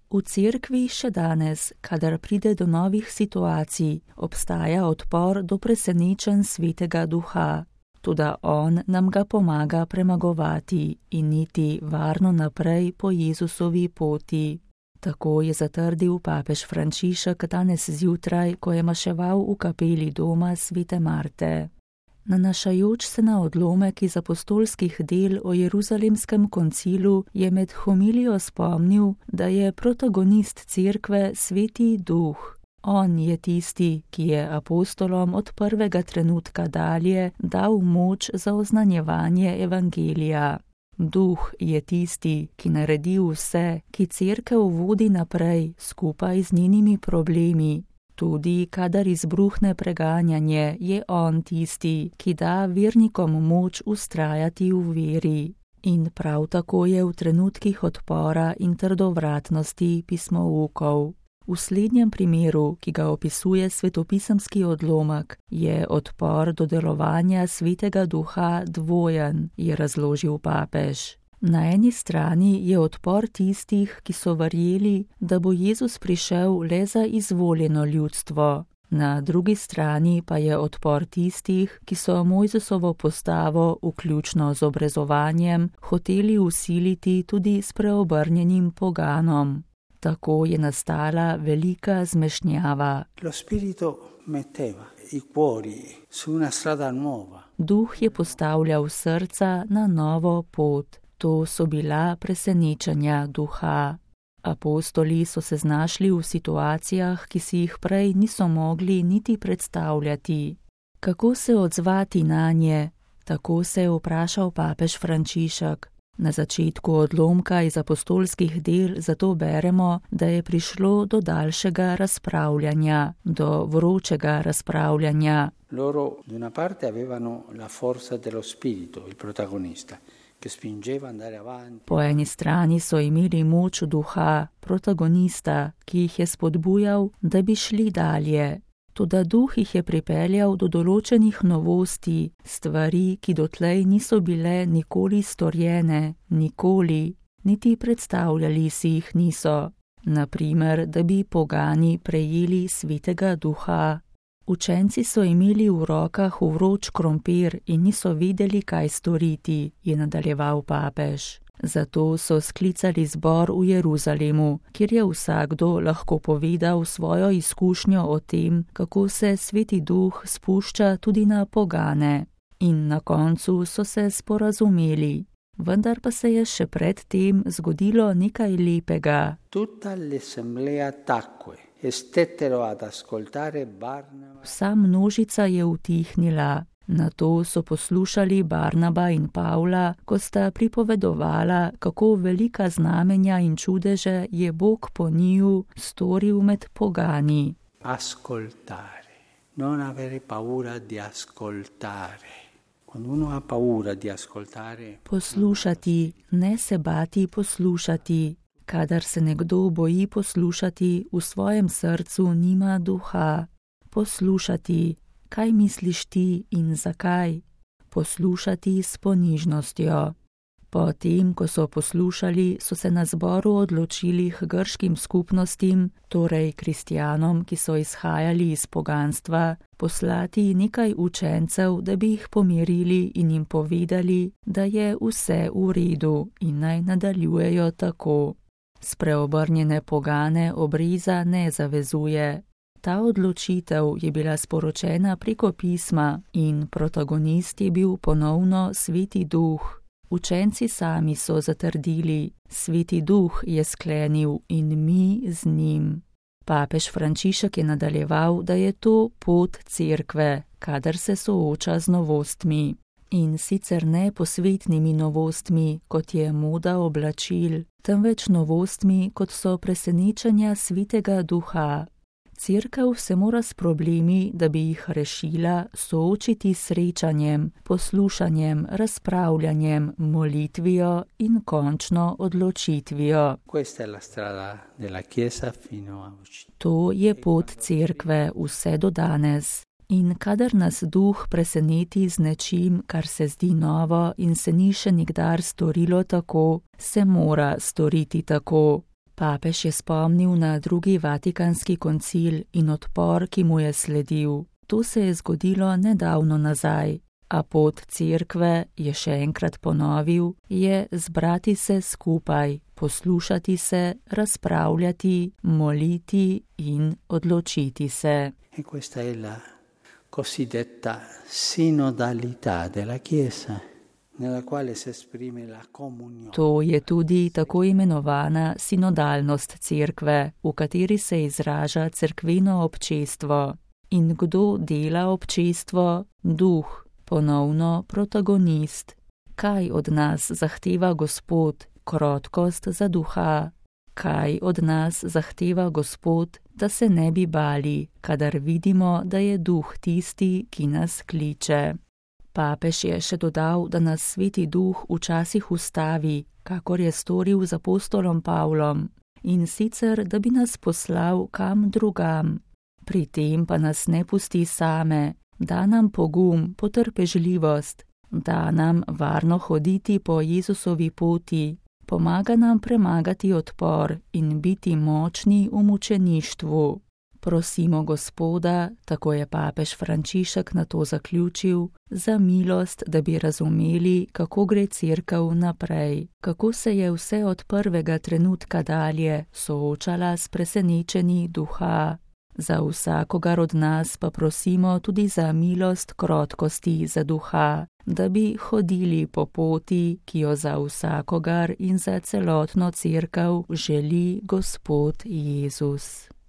V cerkvi še danes, kadar pride do novih situacij, obstaja odpor do presenečenj Svetega Duha. Toda on nam ga pomaga premagovati in iti varno naprej po Jezusovi poti. Tako je zatrdil papež Frančišek danes zjutraj, ko je maševal v kapeli doma Svete Marte. Nanašajoč se na odlomek iz apostolskih del o Jeruzalemskem koncilu, je med homilijo spomnil, da je protagonist cerkve Sveti Duh. On je tisti, ki je apostolom od prvega trenutka dalje dal moč za oznanjevanje evangelija. Duh je tisti, ki naredi vse, ki cerkev vodi naprej skupaj z njenimi problemi. Tudi kadar izbruhne preganjanje, je on tisti, ki da vernikom moč vztrajati v veri. In prav tako je v trenutkih odpora in trdovratnosti pismoukov. V slednjem primeru, ki ga opisuje svetopisemski odlomek, je odpor do delovanja Svetega Duha dvojen, je razložil papež. Na eni strani je odpor tistih, ki so verjeli, da bo Jezus prišel le za izvoljeno ljudstvo. Na drugi strani pa je odpor tistih, ki so Mojzesovo postavo, vključno z obrezovanjem, hoteli vsiliti tudi s preobrnjenim poganom. Tako je nastala velika zmešnjava. Duh je postavljal srca na novo pot. To so bila presenečenja duha. Apostoli so se znašli v situacijah, ki si jih prej niso mogli niti predstavljati. Kako se odzvati nanje? Tako se je vprašal papež Frančišek. Na začetku odlomka iz apostolskih del zato beremo, da je prišlo do daljšega razpravljanja, do vročega razpravljanja. Loro da una parte avevano la forza dello spirito, il protagonista. Po eni strani so imeli moč duha, protagonista, ki jih je spodbujal, da bi šli dalje. Toda duh jih je pripeljal do določenih novosti, stvari, ki dotlej niso bile nikoli storjene, nikoli, niti predstavljali si jih niso. Naprimer, da bi pogani prejeli Svetega Duha. Učenci so imeli v rokah vroč krompir in niso vedeli, kaj storiti, je nadaljeval papež. Zato so sklicali zbor v Jeruzalemu, kjer je vsakdo lahko povedal svojo izkušnjo o tem, kako se Sveti Duh spušča tudi na pogane. In na koncu so se sporazumeli. Vendar pa se je še pred tem zgodilo nekaj lepega. Vsa množica je utihnila. Nato so poslušali Barnaba in Pavla, ko sta pripovedovala, kako velika znamenja in čudeže je Bog po njiju storil med pogani. Non avere paura di ascoltare. Poslušati, ne se bati poslušati. Kadar se nekdo boji poslušati, v svojem srcu nima duha. Poslušati, kaj misliš ti in zakaj? Poslušati s ponižnostjo. Potem, ko so poslušali, so se na zboru odločili k grškim skupnostim, torej kristjanom, ki so izhajali iz poganstva, poslati nekaj učencev, da bi jih pomirili in jim povedali, da je vse v redu in naj nadaljujejo tako. Spreobrnjene pogane obreza ne zavezuje. Ta odločitev je bila sporočena preko pisma in protagonist je bil ponovno Sveti Duh. Učenci sami so zatrdili, Sveti Duh je sklenil in mi z njim. Papež Frančišek je nadaljeval, da je to pot cerkve, kadar se sooča z novostmi. In sicer ne posvetnimi novostmi, kot je moda oblačil, temveč novostmi, kot so presenečenja Svetega Duha. Cerkev se mora s problemi, da bi jih rešila, soočiti s srečanjem, poslušanjem, razpravljanjem, molitvijo in končno odločitvijo. To je pot cerkve vse do danes. In kadar nas Duh preseneti z nečim, kar se zdi novo in se ni še nikdar storilo tako, se mora storiti tako. Papež je spomnil na drugi Vatikanski koncil in odpor, ki mu je sledil. To se je zgodilo nedavno nazaj, a pot cerkve, je še enkrat ponovil, je zbrati se skupaj, poslušati se, razpravljati, moliti in odločiti se. E questa è la cosiddetta sinodalità della Chiesa, nella quale si esprime la comunione. To je tudi tako imenovana sinodalnost cerkve, v kateri se izraža cerkveno občestvo. In kdo dela občestvo? Duh, ponovno protagonist. Kaj od nas zahteva Gospod? Krotkost za duha. Kaj od nas zahteva Gospod, da se ne bi bali, kadar vidimo, da je duh tisti, ki nas kliče? Papež je še dodal, da nas Sveti Duh včasih ustavi, kakor je storil z apostolom Pavlom, in sicer, da bi nas poslal kam drugam. Pri tem pa nas ne pusti same, da nam pogum, potrpežljivost, da nam varno hoditi po Jezusovi poti, pomaga nam premagati odpor in biti močni v mučeništvu. Prosimo Gospoda, tako je papež Frančišek na to zaključil, za milost, da bi razumeli, kako gre cerkev naprej, kako se je vse od prvega trenutka dalje soočala s presenečenji duha. Za vsakogar od nas pa prosimo tudi za milost krotkosti za duha, da bi hodili po poti, ki jo za vsakogar in za celotno cerkev želi Gospod Jezus.